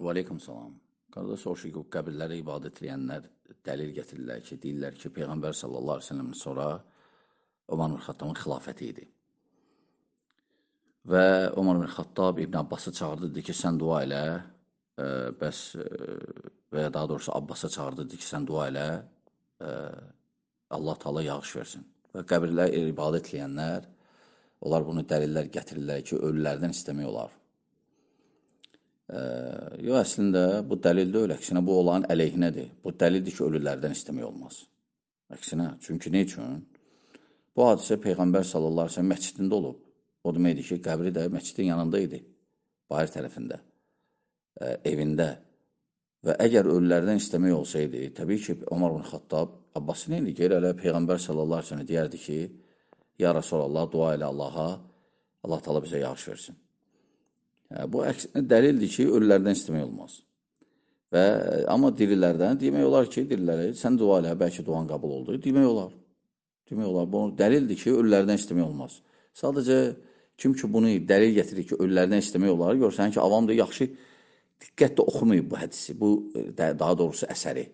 Və aleykum salam. Qardaş, o ki, qəbirlərə ibadət edənlər dəlil gətirirlər ki, deyirlər ki, Peyğəmbər sallallahu aleyhi ve sellemdən sonra Ömər bin Xattabın xilafəti idi. Və Ömər bin Xattab İbn Abbası çağırdı, dedi ki, sən dua elə, və ya daha doğrusu Abbasa çağırdı, dedi ki, sən dua elə, Allah Taala yağış versin. Və qəbirlər ibadət edənlər, onlar bunu dəlillər gətirirlər ki, ölülərdən istəmək olar. Yox, əslində bu dəlil deyil, əksinə bu olan əleyhinədir. Bu dəlildir ki, ölülərdən istəmək olmaz. Əksinə, çünki nə üçün? Bu hadisə Peyğəmbər sallallahu aleyhi ve sellem məscidində olub. O deməkdir ki, qəbri də məscidin yanında idi, bayır tərəfində, evində. Və əgər ölülərdən istəmək olsaydı, təbii ki, Ömər bin Xattab Abbası nə idi? Elə Peyğəmbər sallallahu aleyhi ve sellem deyərdi ki, ya Rasulallah, dua elə Allaha, Allah Taala bizə yağış versin. Bu əksinə dəlildir ki, ölülərdən istəmək olmaz. Amma dirilərdən demək olar ki, dirilərə sən dua elə, bəlkə duan qəbul oldu, demək olar. Demək olar, bu dəlildir ki, ölülərdən istəmək olmaz. Sadəcə, kim ki bunu dəlil gətirir ki, ölülərdən istəmək olar, görsən ki, avam da yaxşı diqqətlə oxumayıb bu hədisi, bu daha doğrusu əsəri.